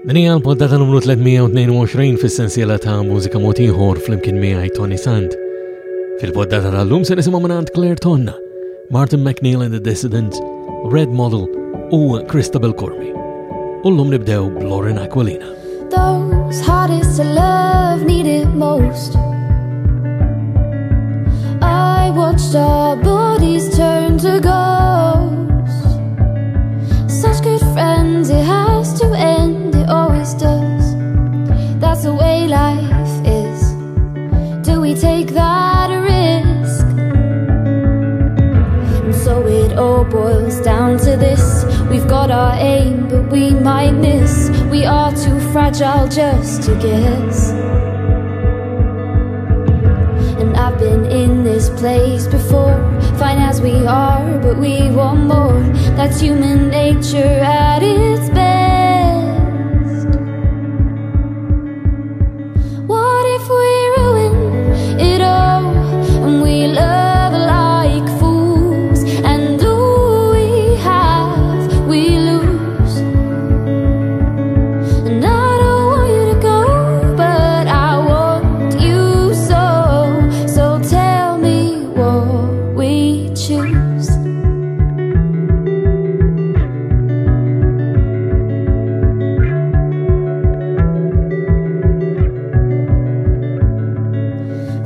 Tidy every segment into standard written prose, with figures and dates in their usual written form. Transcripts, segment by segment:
Din hija l-poddata numru 322 fis-sensiela ta' mużika mod ieħor flimkien miegħi Tony Sant. Fil-poddata tal-lum se nisimgħu mingħand Claire Tonna, Martin McNeil and the Dissidents, Red Model u Christabel Curmi. U llum nibdew b'Lauren Aquilina. Those hardest to love need it most. I watched our bodies turn to ghosts. Such good friends, it has to end, it always does. That's the way life is. Do we take that risk? And so it all boils down to this. We've got our aim, but we might miss. We are too fragile just to guess. And I've been in this place before, fine as we are, but we want more. That's human nature at its best. What if we ruin it all and we love like fools, and all we have we lose? And I don't want you to go, but I want you so. So tell me what we choose.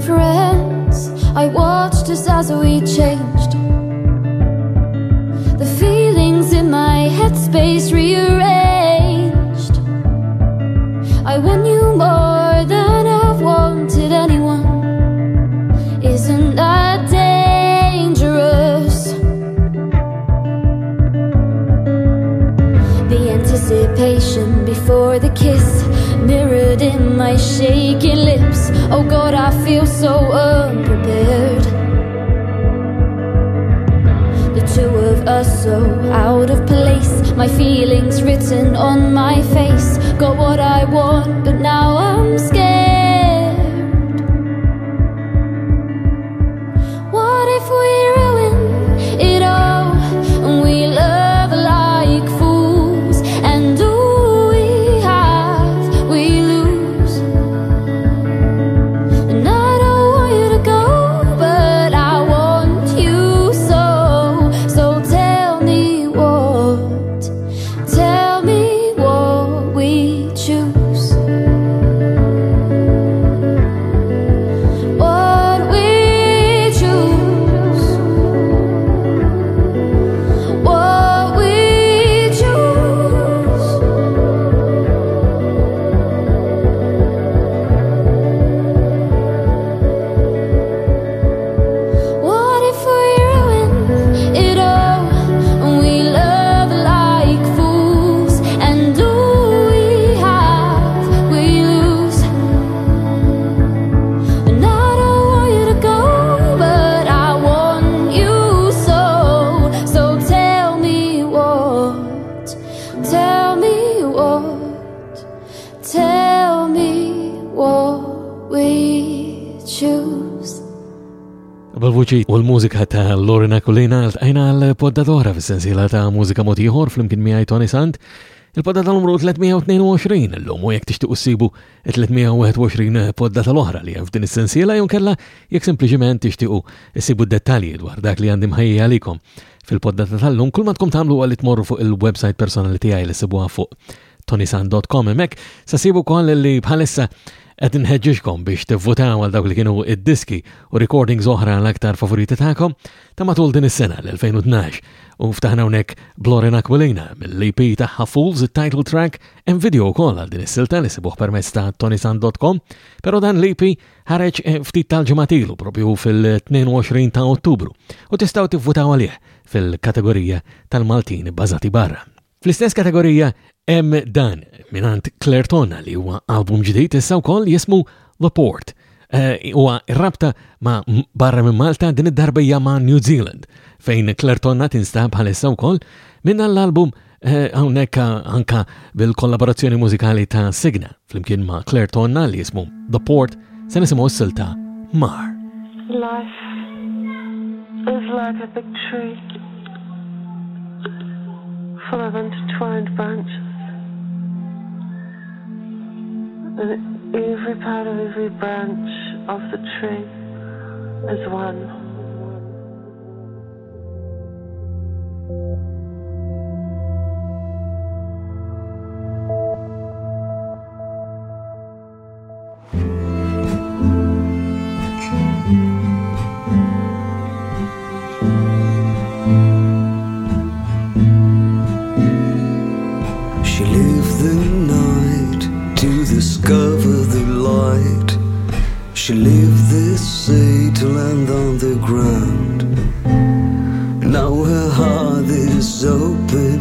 Friends, I watched us as we changed. The feelings in my headspace rearranged. I want you more than I've wanted anyone. Isn't that dangerous? The anticipation before the kiss mirrored in my shaky lips. Oh God, I feel so unprepared. The two of us so out of place. My feelings written on my face. Got what I want, but now I'm scared. What if we ruin it all and we love like fools, and all we have we lose? And I don't want you to go, but I want you so. So tell me what, tell me what we choose. What we choose. What we choose. What if we ruin it all and we love like fools, and all we have we lose? And I don't want you to go, but I want you so. So tell me what, tell me what, tell me what we choose. Bil-vuċi u l-mużika ta' Lorena Aquilina ltqajna għal-poddata fis-sensiela ta' mużika mod ieħor flimkien miegħi Tony Sant. Il-poddata numru 322 illum u jekk tixtiequ ssibu 321 poddata l-oħra li hemm f'din is-sensiela jew kella jekk sempliċiment tixtiequ issibu dettalji dwar dak li għandi mħejji għalikom fil-poddata tal-lum, kull ma tkun tagħmlu huwa li tmorru fuq il-website personali tiegħi li ssibuha fuq tonisan dot com. Hemmhekk se ssibu wkoll li bħalissa qed inħeġġiġkom biex tivvutaw għal dawk li kienu id-diski u recordings oħra l-aktar favoriti tagħkom ta' matul din is-sena l-2012. U ftaħna hawnhekk b'Lauren Aquilina mill-E P tagħha Fools, it-title track, hemm video wkoll għal din is-silta li sibuh permezz ta' tonisan dot com, però dan l-E P ħareġ, ftit tal-ġimgħat ilu propju fil-22 ta' Ottubru u tistgħu tivvutaw għalih fil-kategorija tal-Maltin bbażati barra. Fl-istess kategorija hemm dan mingħand Claire Tonna li huwa album ġdid issa wkoll jismu The Port. Huwa rabta ma' barra minn Malta din id-darba hija ma' New Zealand fejn Claire Tonna tinstab bħalissa wkoll minn l-album hawnhekk anka bil-kollaborazzjoni mużikali ta' Signa flimkien ma' Claire Tonna li jismu The Port se nisimgħu s-silta Mar. Life is like a big tree full of intertwined branches. And every part of every branch of the tree is one. She lived the night to discover the light. She lived the sea to land on the ground. Now her heart is open.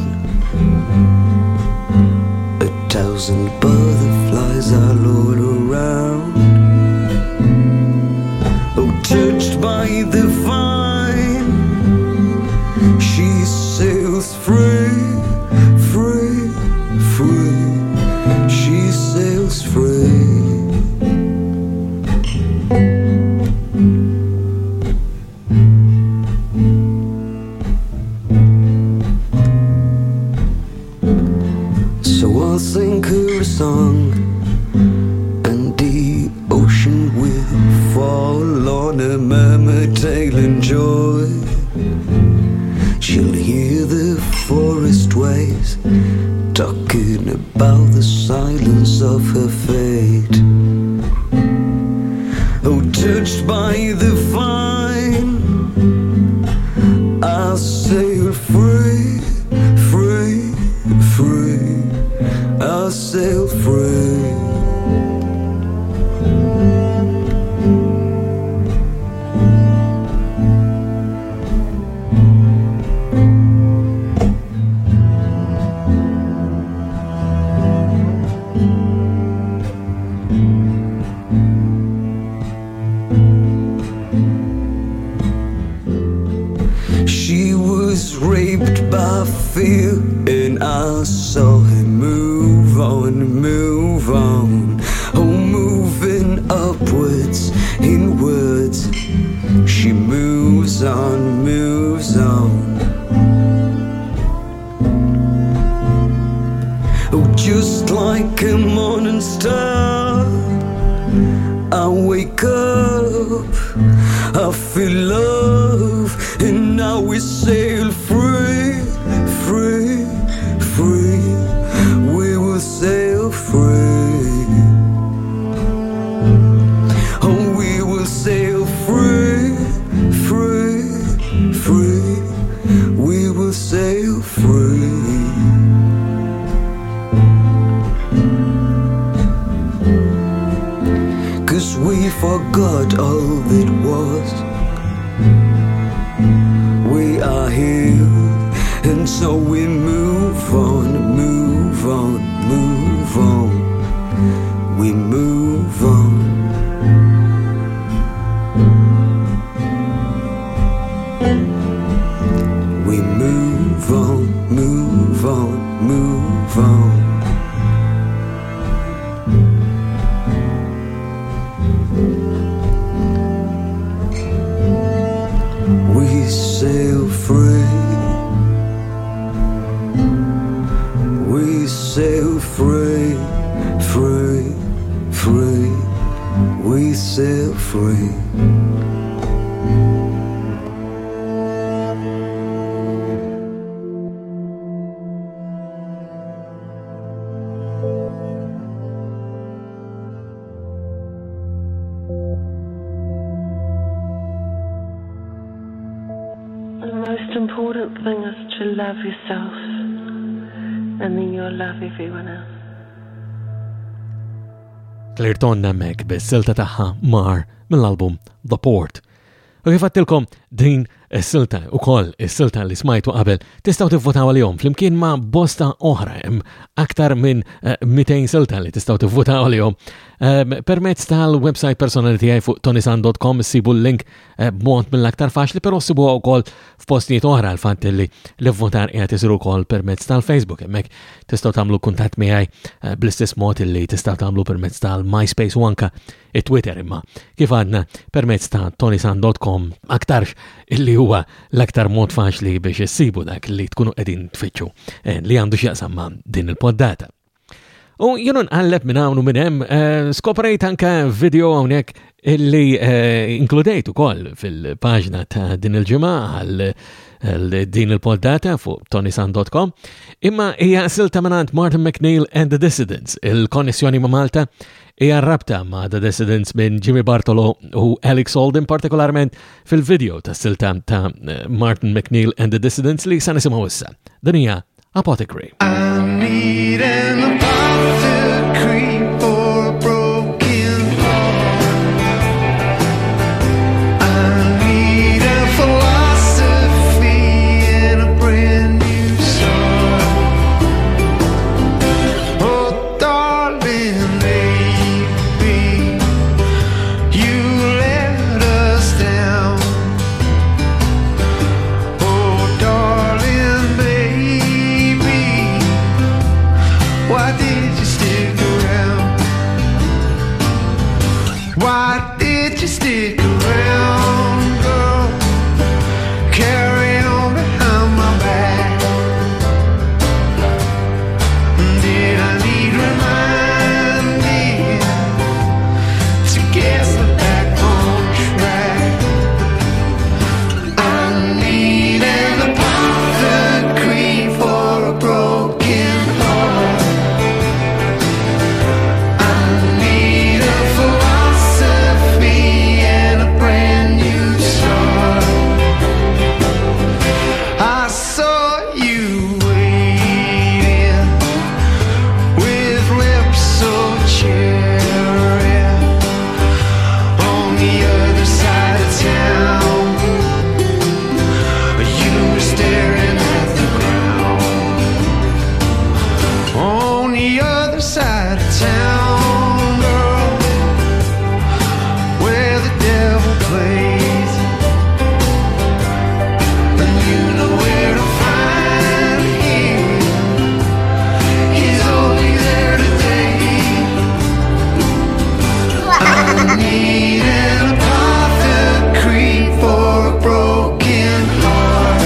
A thousand butterflies are all around. Oh, touched by the vine, she sails free, free, free. She sails free. So I'll sing her a song, and the ocean will fall on a murmur tailing joy. She'll hear the forest waves talking about the silence of her fate. Oh, touched by the vine, I sail free, free, free. I sail free. She was raped by fear, and I saw her move on, move on. Oh, moving upwards, inwards. She moves on, moves on. Oh, just like a morning star, I wake up, I feel love, and now we sail free, free, free. We will sail free. Oh, we will sail free, free, free. We will sail free. Cause we forgot all that was. We are here, and so we move on, move on, move on. We move on. We move on, move on, move on. We sail free. We sail free, free, free. We sail free. The most important thing is to love yourself, and then you'll love everyone else. Claire Tonna Meg bis-silta tagħha Mar mill-album The Port. U kif għattilkom din is-silta ukoll is-silta li smajtu qabel tistgħu tivvotaw għalihom flimkien ma' bosta oħra hemm aktar minn 200 eh, silta li tistgħu tivvotaw għalihom ehm, permezz tal-website personali tiegħi fuq tonisan.com issibu l-link eh, b'mod mill-aktar faċli però ssibuha wkoll f'postijiet oħra l-fatt li l-votar qiegħed isir ukoll permezz tal-Facebook hemmhekk tistgħu tagħmlu kuntatt miegħi eh, bl-istess mod li tistgħu tagħmlu permezz tal-MySpace u anka it-Twitter imma kif għadna permezz ta' tonisan.com aktarx illi huwa l-aktar mod faċli biex issibu dak li tkunu qegħdin tfittxu eh, li għandu x'jaqsam ma' din il-poddata. U jienu nqalleb minn hawn u minn hemm eh, skoprejt anke video hawnhekk illi eh, inkludejt ukoll fil-paġna ta' din il-ġimgħa għal din il-poddata fuq tonisan.com imma hija silta mingħand Martin McNeil and the Dissidents il-konnessjoni ma' Malta hija rabta ma' The Dissidents minn Jimmy Bartolo u Alex Holden partikolarment fil-video ta' silta ta' Martin McNeil and the Dissidents li sa nisimgħu issa. Din hija Apothecary. I need an apothecary for a broken heart. I need a philosophy and a brand new start. Oh, darling, maybe you let us down. Oh, darling, baby, why did you stick around? Why did you stick around, girl? Carry on behind my back. Did I need reminding to get me back on track? I need an apothecary for a broken heart. I need a philosophy and a brand new start. I saw you waiting with lips so cherry on the other side of town. You were staring at the ground on the other side of town, girl, where the devil plays. And you know where to find him. He's only there today. I need an apothecary for a broken heart.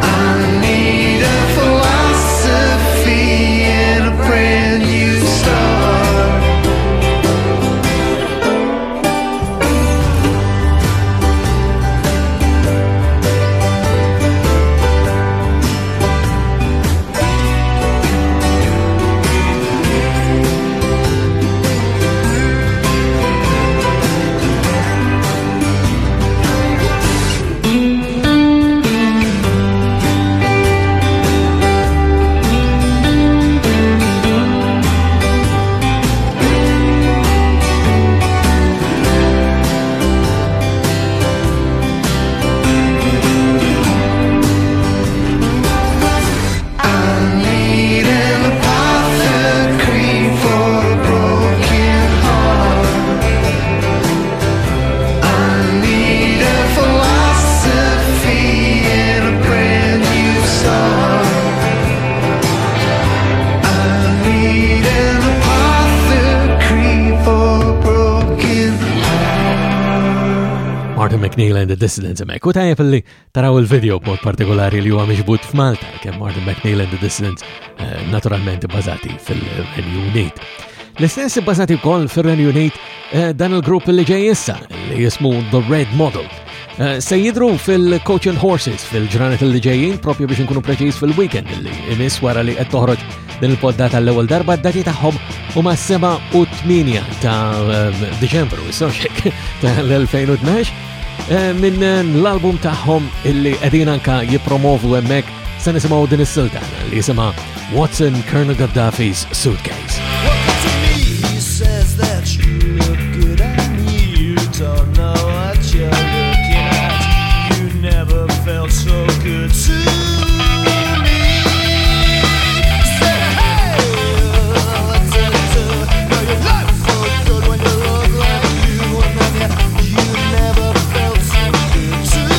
I need a philosophy and a brand new start. I need an apothecary for a broken heart. I need a philosophy and a brand new start. I need an apothecary for a broken heart. Martin McNeil and the Dissidents hemmhekk. U tajjeb li taraw il-video b'mod partikolari li huwa miġbud f'Malta, kemm Martin McNeil and the Dissidents eh, naturalment bbażati fil-Renju Unit. L-istess bbażati wkoll fir-Renju Unit eh, dan il-grupp li ġej issa li jismu The Red Model. Eh, Se jidru fil-Coach and Horses fil-ġranet li ġejjin, propju biex nkunu preċiż fil-weekend li imiss wara li qed toħroġ din il-poddata l-ewwel darba d-dati tagħhom huma 7 u 8 ta' Diċembru, issa xek tal-2012 minn l-album tagħhom illi qegħdin anka jippromovu hemmhekk se nisimgħu din is-silta li jisimha What's in Colonel Gaddafi's Suitcase. Welcome to me, he says that you look good and you don't know what you're looking at. You never felt so good to me. Say, hey, what's it do? Now you look so good when you look like you, and then you never felt so good to me.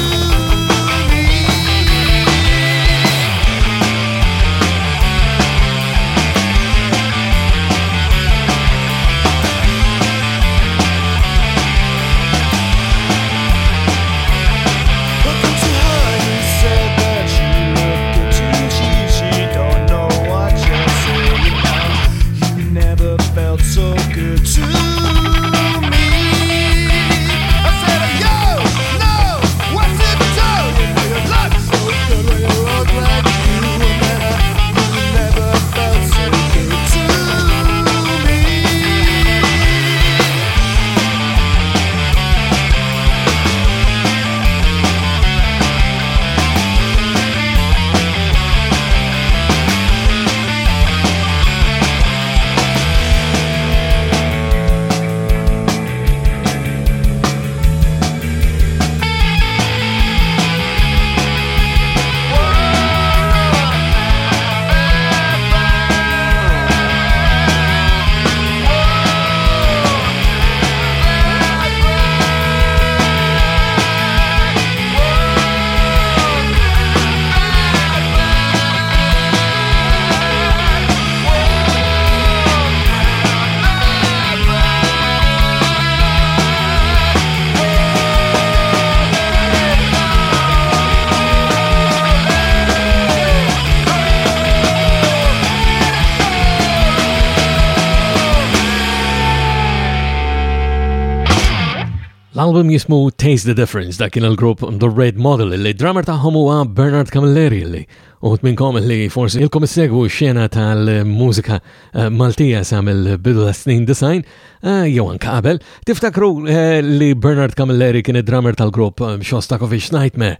L-album jismu Taste the Difference, dak kien il-grupp The Red Model li drummer tagħhom huwa Bernard Camilleri li uħut minnkom li forsi ilkom issegwu x-xena tal-mużika eh, Maltija sa mill-bidu ta' snin design eh, jew anke qabel. Tiftakru eh, li Bernard Camilleri kien id-drummer tal-grupp Shostakovich Nightmare,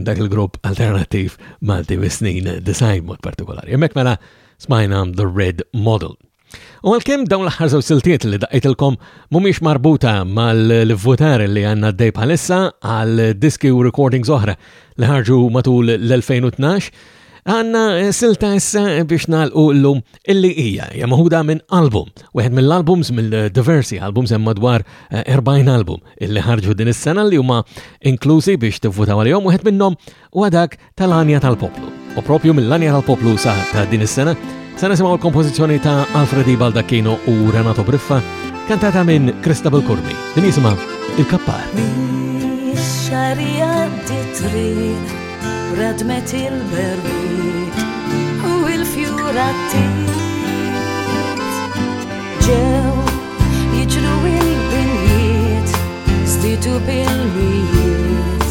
dak il-grupp alternattiv Malti mis-snin design mod partikolari. Hemmhekk mela smajna The Red Model. U għalkemm dawn l-aħħar żewġ siltiet li daqqejtilkom mhumiex marbuta mal-votar li għandna dej bħalissa għal diski u recordings oħra li ħarġu matul l-2012, għanna silta issa biex nagħlqu llum illi hija hija maħuda minn album, wieħed mill-albums mill-diversi albums hemm madwar 40 eh, album illi ħarġu din is-sena li huma inklużi biex tivvutaw għalihom, wieħed minnhom huwa dak tal-Għanja tal-Poplu. U propju mill-Għanja tal-Poplu sa ta' din is-sena, sa nisimgħu l-kompożizzjoni ta' Alfredi Baldacchino u Renato Briffa, kantata minn Christabel Curmi. Din jisimha Il-Kappar. Xarija triq radmet il-berwiet u il-fjura Ġew jiġru il-binjiet, stitu bil-mijiet,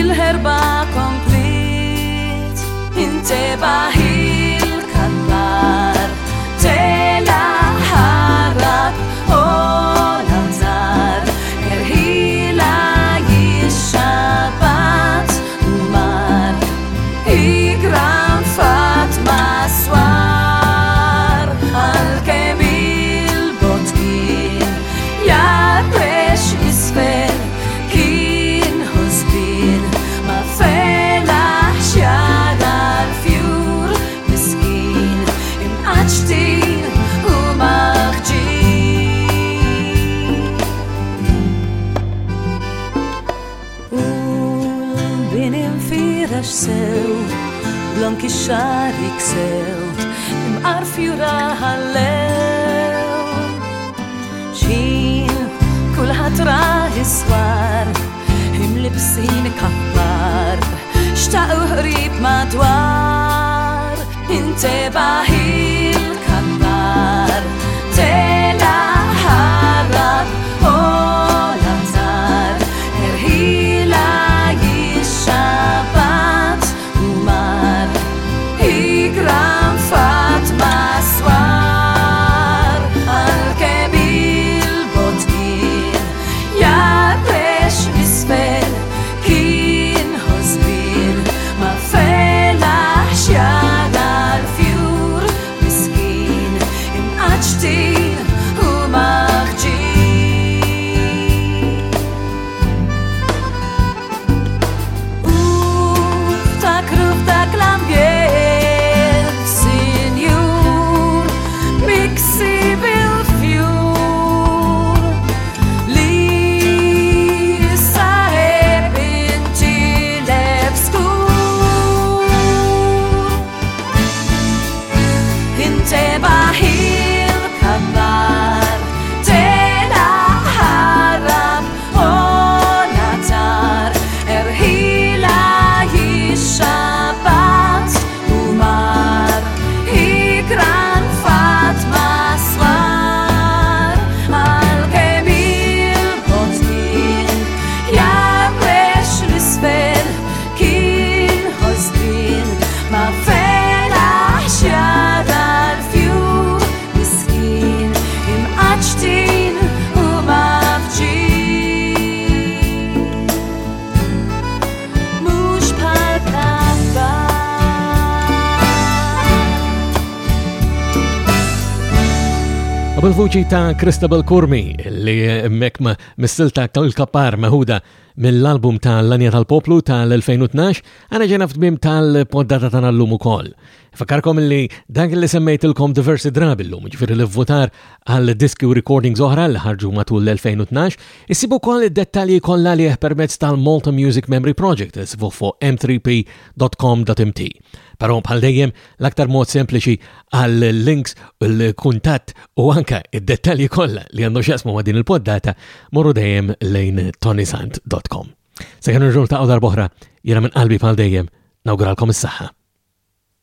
il-ħerba komplit, intebaħ il-kabbar, tela ħarab u l-anzar, erħila jixxabat u mar, igran fat maswar, għal-kem il-bot kien, jarrex isfel, kien ħosbin, ma felax jara l-fjur, miskin, imqaċtin u maħġin. U l-bin infirex sew, blonk ix-xar jiksew, imqar fjura ħallew. Xin kulħadd rah iswar, imlibsin kappar, xtaqu qrib madwar, intebaħ il-kappar, tela ħarab u l-anzar, erħila jixxabat u mar, igran fat maswar, għal-kem il-bot kien, jarrex isfel, kien ħosbin, ma felax jara l-fjur, miskin, imqaċtin u maħġin. U ftakru f'dak l-ambjent, sinjur, miksi bil-fjur, li saħeb intilef skur. Intebaħ il-kabbar, tela ħarab u natar, erħila jixxabat u mar, ikran fat maswar, għal-kem il-bot kien, jarrex l-isfel, kien ħosbin, ma felax jara l-fjur, miskin, imqaċtin u mafġin. Mux bħal kabbar. U bil-vuċi ta' Christabel Curmi li mek mis-silta tal-Kappar meħuda mill-album ta' L-Anja tal-Poplu tal-2012, għana ġena f'tmiem tal-poddata tagħna llum ukoll. Fakkarkom li dak li semmejtilkom diversi drabi llum, ġifieri li votar għal diski u recordings oħra li ħarġu matul l-2012, issibu wkoll id-dettalji kollha li permezz tal-Malta Music Memory Project, issibu fuq m three p dot com dot m t. Però bħal dejjem l-aktar mod sempliċi għal links, il-kuntatt u anka id-dettalji kollha li għandu x'jaqsmu ma' din il-poddata morru dejjem lejn tonisant dot com. Sakemm nerġgħu niltaqgħu darb'oħra, jiena minn qalbi bħal dejjem nawguralkom is-saħħa.